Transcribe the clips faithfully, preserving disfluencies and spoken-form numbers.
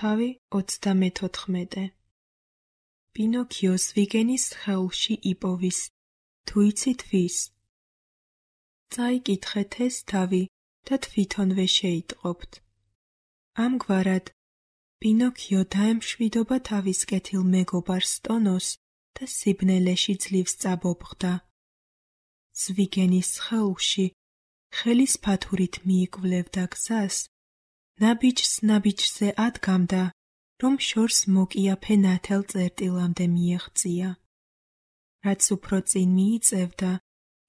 თავი ოცდამეთოთხმეტე. პინოქიო ზვიგენის სხეულში იპოვის, თუ იცით ვის? წაიკითხეთ ეს თავი და თვითონვე შეიტყობთ. ამგვარად, პინოქიო დაემშვიდობა თავის კეთილ მეგობარ სტონოს და სიბნელეში ძლივს წაბობხდა. ზვიგენის სხეულში ხელის ფათურით მიიკვლევდა გზას, ნაბიჯს ნაბიჯზე ადგამდა, რომ შორს მოკიაფე ნათელ წერტილამდე მიეღწია. რაც უფრო წინ მიიწევდა,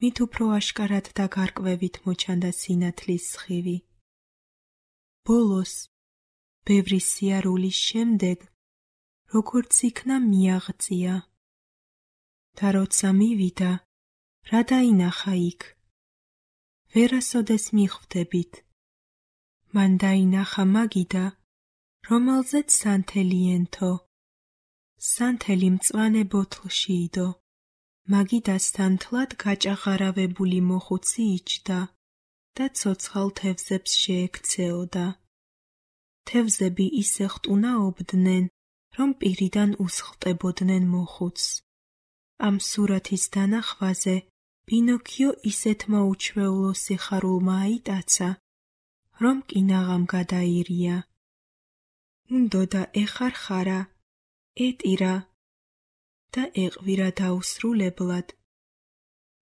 მით უფრო აშკარად და გარკვევით მოჩანდა სინათლის სხივი. ბოლოს, ბევრი სიარულის შემდეგ, როგორც იქნა მიაღწია. და როცა მივიდა, რა დაინახა იქ? ვერასოდეს მიხვდებით. მან დაინახა მაგიდა, რომელზეც სანთელი ენთო. სანთელი მწვანე ბოთლში იდო. მაგიდასთან თლად გაჭაღარავებული მოხუცი იჯდა და ცოცხალ თევზებს შეექცეოდა. თევზები ისე ხტუნაობდნენ, რომ პირიდან უსხლტებოდნენ მოხუცს. ამ სურათის დანახვაზე პინოქიო ისეთმა უჩვეულო სიხარულმა აიტაცა, რომ კინაღამ გადაირია. უნდოდა ეხარხარა, ეტირა და ეყვირა დაუსრულებლად,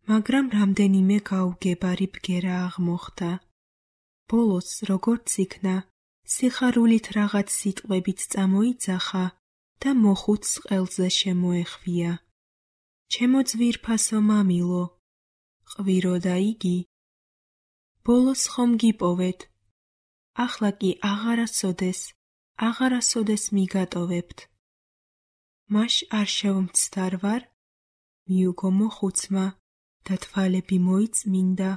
მაგრამ რამდენიმე გაუგებარი ბგერა აღმოხდა. ბოლოს, როგორც იქნა, სიხარულით რაღაც სიტყვებით წამოიძახა და მოხუცს ყელზე შემოეხვია. ჩემო ძვირფასო მამილო, ყვიროდა იგი. ბოლოს ხომ გიპოვეთ, ახლა კი აღარასოდეს, აღარასოდეს მიგატოვებთ. მაშ არ შევმცდარ ვარ? მიუგო მოხუცმა და თვალები მოიწმინდა.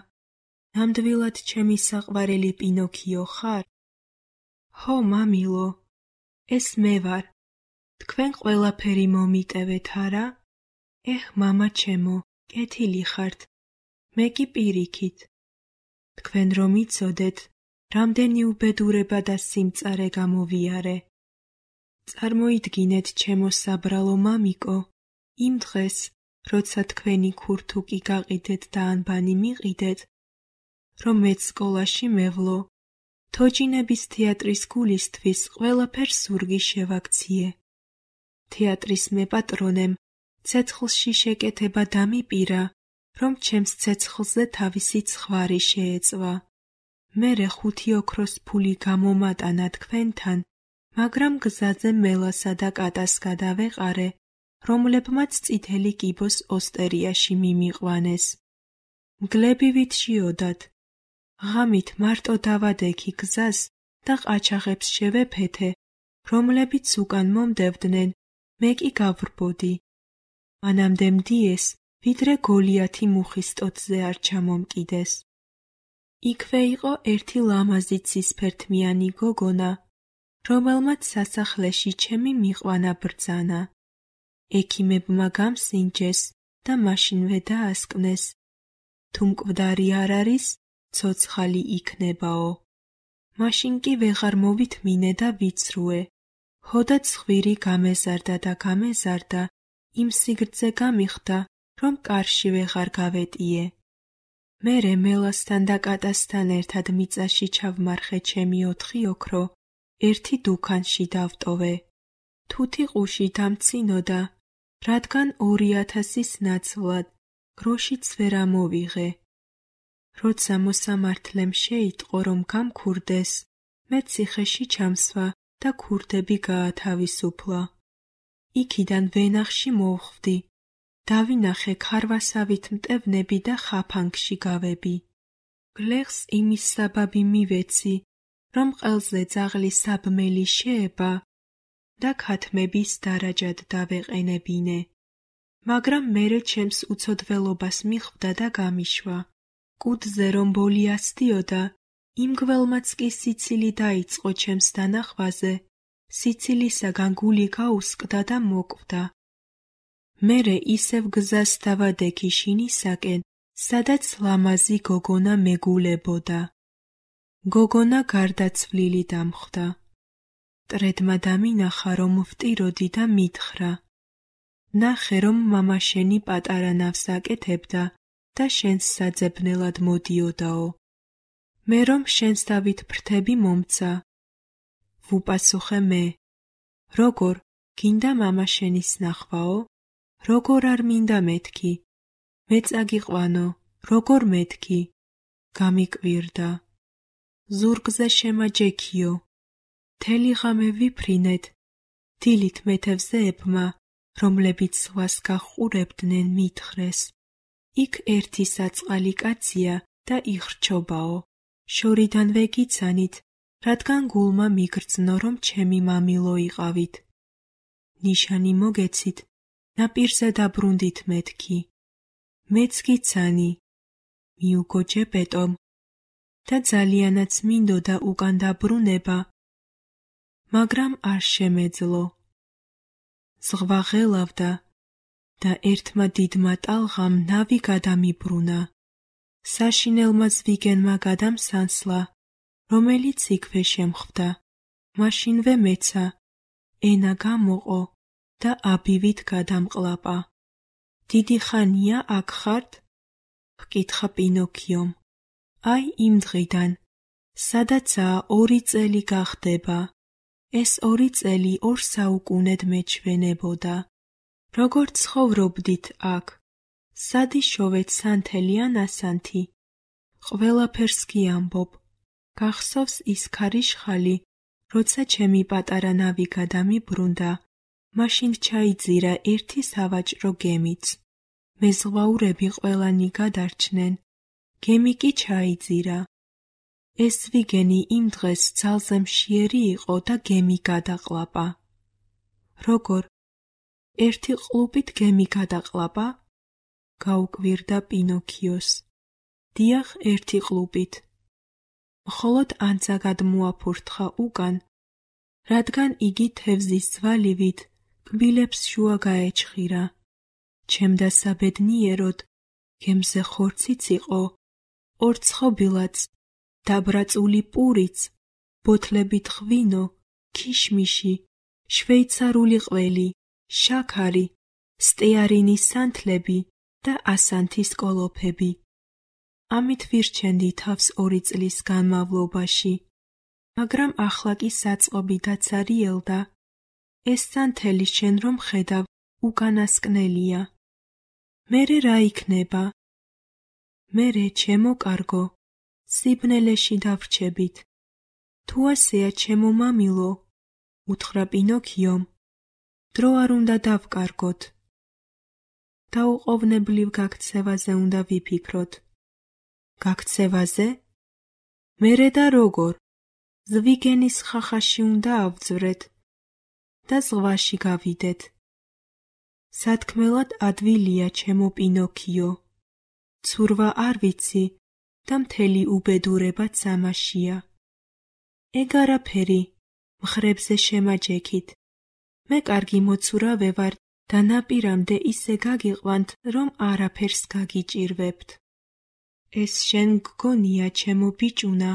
ნამდვილად ჩემი საყვარელი პინოქიო ხარ? ჰო, მამილო, ეს მე ვარ. თქვენ ყველაფერი მომიტევეთ არა? ეჰ, მამა ჩემო, კეთილი ხართ. მე კი პირიქით. თქვენ რომ იცოდეთ, რამდენი უბედურება და სიმწარე გამოვიარე. წარმოიდგინეთ, ჩემო საბრალო მამიკო, იმ დღეს, როცა თქვენი ქურთუკი გაყიდეთ და ანბანი მიყიდეთ, რომ მეც სკოლაში მევლო, თოჯინების თეატრის გულისთვის ყველაფერს ზურგი შევაქციე. თეატრის მეპატრონემ ცეცხლში შეკეთება დამიპირა, რომ ჩემს ცეცხლზე თავისი ცხვარი შეეწვა. მერე ხუთი ოქროს ფული გამომატანა თქვენთან, მაგრამ გზაზე მელასა და კატას გადავეყარე, რომლებმაც წითელი კიბოს ოსტერიაში მიმიყვანეს. მგლებივით შიოდათ. ღამით მარტო დავადექი გზას და ყაჩაღებს შევეფეთე, რომლებიც უკან მომდევდნენ, მე კი გავრბოდი. მანამდე მდიეს, ვიდრე გოლიათი მუხის ტოტზე არ ჩამომკიდეს. იქვე იყო ერთი ლამაზი ცისფერთმიანი გოგონა, რომელმაც სასახლეში ჩემი მიყვანა ბრძანა. ექიმებმა გამსინჯეს და მაშინვე დაასკვნეს, თუ მკვდარი არ არის, ცოცხალი იქნებაო. მაშინ კი ვეღარ მოვითმინე და ვიცრუე. ჰოდა ცხვირი გამეზარდა და გამეზარდა, იმ სიგრძე გამიხდა, რომ კარში ვეღარ გავეტიე. მერე მელასთან და კატასთან ერთად მიწაში ჩავმარხე ჩემი ოთხი ოქრო, ერთი დუქანში დავტოვე. თუთი ყუში დამცინოდა, რადგან ორი ათასის ნაცვლად, გროშიც ვერ ამოვიღე. როცა მოსამართლემ შეიტყო, რომ გამქურდეს, მე ციხეში ჩამსვა და ქურდები გაათავისუფლა. იქიდან ვენახში მოვხვდი. დავინახე ქარვასავით მტევნები და ხაფანგში გავები. გლეხს იმის საბაბი მივეცი, რომ ყელზე ძაღლი საბმელი შეება და ქათმების დარაჯად დავეყენებინე. მაგრამ მერე ჩემს უცოდველობას მიხვდა და გამიშვა. კუდზე რომ ბოლი ასდიოდა, იმ გველმაც კი სიცილი დაიწყო ჩემს დანახვაზე, სიცილისაგან გული გაუსკდა და მოკვდა. მერე ისევ გზას დავადექი შინისაკენ, სადაც ლამაზი გოგონა მეგულებოდა. გოგონა გარდაცვლილი დამხვდა. მტრედმა დამინახა, რომ ვტიროდი და მითხრა: ნახე, რომ მამა შენი პატარა ნავს აკეთებდა და შენს საძებნელად მოდიოდაო. მე რომ შენს დავით ფრთები მომცა. ვუპასუხე მე: როგორ, გინდა მამა შენის ნახვაო? როგორ არ მინდა მეთქი? მე წაგიყვანო, როგორ მეთქი? გამიკვირდა. ზურგზე შემაჯექიო. მთელი ღამე ვიფრინეთ. დილით მეთევზეებმა, რომლებიც ზღვას გაჰყურებდნენ, მითხრეს: იქ ერთი საწყალი კაცია და იხრჩობაო. შორიდანვე გიცანით, რადგან გულმა მიგრძნო, რომ ჩემი მამილო იყავით. ნიშანი მოგეცით, ნაპირზე დაბრუნდით მეთქი. მეც გიცანი, მიუგოჯე ბეტომ, და ძალიანაც მინდოდა უკან დაბრუნება, მაგრამ არ შემეძლო. ზღვა ღელავდა და ერთმა დიდმა ტალღამ ნავი გადამიბრუნა. საშინელმა ზვიგენმა გადამსანსლა, რომელიც იქვე შემხვდა. მაშინვე მეცა, ენა გამოყო და აბივით გადამყლაპა. დიდი ხანია აქ ხართ? ჰკითხა პინოქიომ. აი იმ დღიდან, სადაცაა ორი წელი გახდება. ეს ორი წელი ორ საუკუნედ მეჩვენებოდა. როგორ ცხოვრობდით აქ? სადიშოვეთ სანთელი ან ასანთი? ყველაფერს გიამბობ. გახსოვს ის ქარიშხალი, როცა ჩემი პატარა ნავი გადამიბრუნდა, მაშინ ჩაიძირა ერთი სავაჭრო გემიც. მეზღვაურები ყველანი გადარჩნენ. გემი კი ჩაიძირა. ეს ზვიგენი იმ დღეს ძალზე მშიერი იყო და გემი გადაყლაპა. როგორ? ერთი ყლუპით გემი გადაყლაპა? გაუკვირდა პინოქიოს. დიახ, ერთი ყლუპით. მხოლოდ ანძა გადმოაფურთხა უკან, რადგან იგი თევზის ძვალივით კბილებს შუა გაეჩხირა. ჩემდა საბედნიეროდ, გემზე ხორციც იყო, ორცხობილაც, დაბრაწული პურიც, ბოთლებით ღვინო, ქიშმიში, შვეიცარული ყველი, შაქარი, სტეარინის სანთლები და ასანთის კოლოფები. ამით ვირჩენდი თავს ორი წლის განმავლობაში, მაგრამ ახლა კი საწყობი დაცარიელდა. ეს სანთელი შენ რომ ხედავ, უკანასკნელია. მერე რა იქნება? მერე, ჩემო კარგო, სიბნელეში დავრჩებით. თუ ასეა, ჩემო მამილო, უთხრა პინოქიომ, დრო არ უნდა დავკარგოთ. დაუყოვნებლივ გაქცევაზე უნდა ვიფიქროთ. გაქცევაზე? მერე და როგორ? ზვიგენის ხახაში უნდა ავძვრეთ და ზღვაში გავიდეთ. სათქმელად ადვილია, ჩემო პინოქიო. ცურვა არ ვიცი და მთელი უბედურებაც ამაშია. ეგ არაფერი, მხრებზე შემაჯექით. მე კარგი მოცურავე ვარ და ნაპირამდე ისე გაგიყვანთ, რომ არაფერს გაგიჭირვებთ. ეს შენ გგონია, ჩემო ბიჭუნა,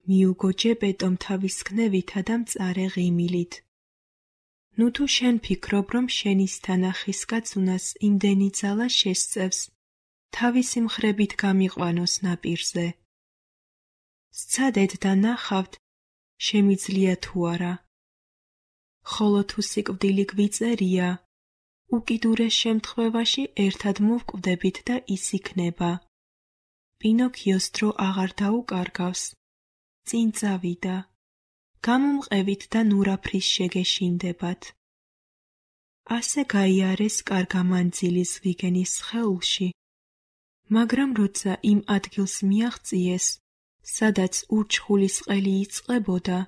მიუგოჯე ბეტომ თავის ქნევითა და მწარე ღიმილით. ნუ თუ შენ ფიქრობ, რომ შენის თანახის კაცუნას იმდენი ძალა შესწევს, თავისი მხრებით გამიყვანოს ნაპირზე. სცადეთ და ნახავთ, შემიძლია თუ არა. ხოლო თუ სიკვდილი გვიწერია, უკიდურეს შემთხვევაში ერთად მოვკვდებით და ის იქნება. პინოქიოს დრო აღარ დაუკარგავს. წინ წავიდა. გამომყევით და ნურაფრის შეგეშინდებათ. ასე გაიარეს კარგა მანძილი ზვიგენის სხეულში, მაგრამ როცა იმ ადგილს მიაღწიეს, სადაც ურჩხულის ყელი იწყებოდა,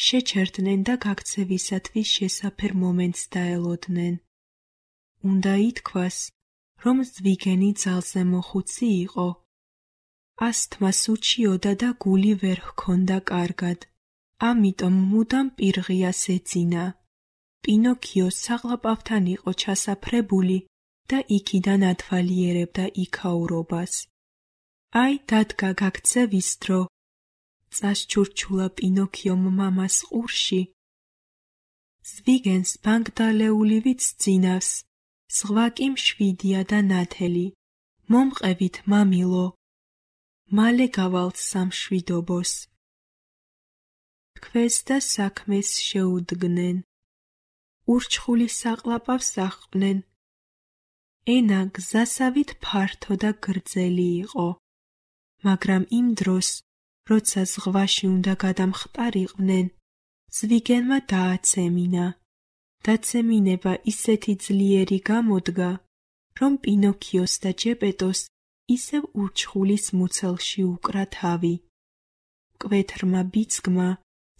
შეჩერდნენ და გაქცევისათვის შესაფერ მომენტს დაელოდნენ. უნდა ითქვას, რომ ზვიგენი ძალზე მოხუცი იყო. ასთმას უჩიოდა და გული ვერ ჰქონდა კარგად. ამიტომ მუდამ პირღიას ეძინა. პინოქიო საყლაპავთან იყო ჩასაფრებული და იქიდან ათვალიერებდა იქაურობას. აი, დადგა გაქცევის დრო. წასჩურჩულა პინოქიომ მამას ყურში ზვიგენს ბანგდალეულივით სძინავს, სხვა კი მშვიდია და ნათელი. მომყევით, მამილო, მალე გავალთ სამშვიდობოს. თქვენს და საქმეს შეუდგნენ, ურჩხული საყლაპავს აჰყვნენ. ენა გზასავით ფართო და გრძელი იყო, მაგრამ იმ დროს, როცა ზღვაში უნდა გადამხტარიყვნენ, ზვიგენმა დააცემინა. დაცემინება ისეთი ძლიერი გამოდგა, რომ პინოქიოს და ჯეპეტოს ისევ ურჩხულის მუცელში უკრა თავი. მკვეთრმა ბიძგმა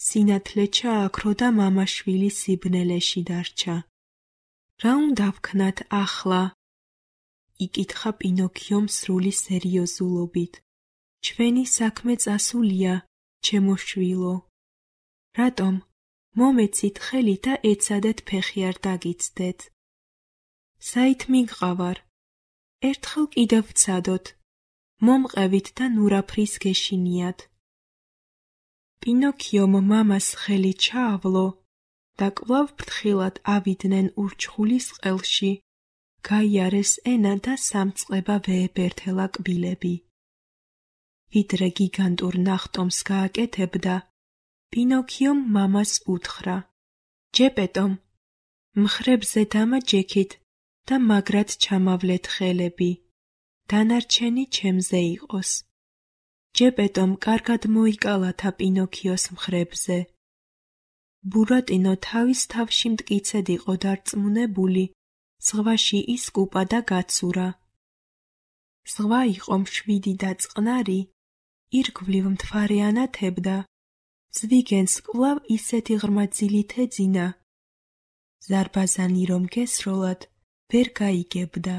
სინათლე ჩააქრო და მამაშვილი სიბნელეში დარჩა. რა უნდა ვქნათ ახლა? იკითხა პინოქიომ სრული სერიოზულობით. ჩვენი საქმე წასულია, ჩემო შვილო. რატომ? მომეცით ხელი და ეცადეთ ფეხი არ დაგიცდეთ. საით მიგყავარ? ერთხელ კიდევ ვცადოთ. მომყევით და ნურაფრის გეშინიათ. პინოქიომ მამას ხელი ჩაავლო და კვლავ ფრთხილად ავიდნენ ურჩხულის ყელში. გაიარეს ენა და სამწყება ვეებერთელა კბილები. ვიდრე გიგანტურ ნახტომს გააკეთებდა, პინოქიომ მამას უთხრა: ჯეპეტომ, მხრებზე დამაჯექით და მაგრად ჩამავლეთ ხელები. დანარჩენი ჩემზე იყოს. ჯეპეტომ კარგად მოიკალათა პინოქიოს მხრებზე. ბურატინო თავის თავში მტკიცედ იყო დარწმუნებული, ზღვაში ისკუპა და გაცურა. ზღვა იყო მშვიდი და წყნარი, ირგვლივ მთვარე ანათებდა. ზვიგენს კვლავ ისეთი ღრმა ძილით ეძინა. ზარბაზანი რომ გესროლად, ვერ გაიგებდა.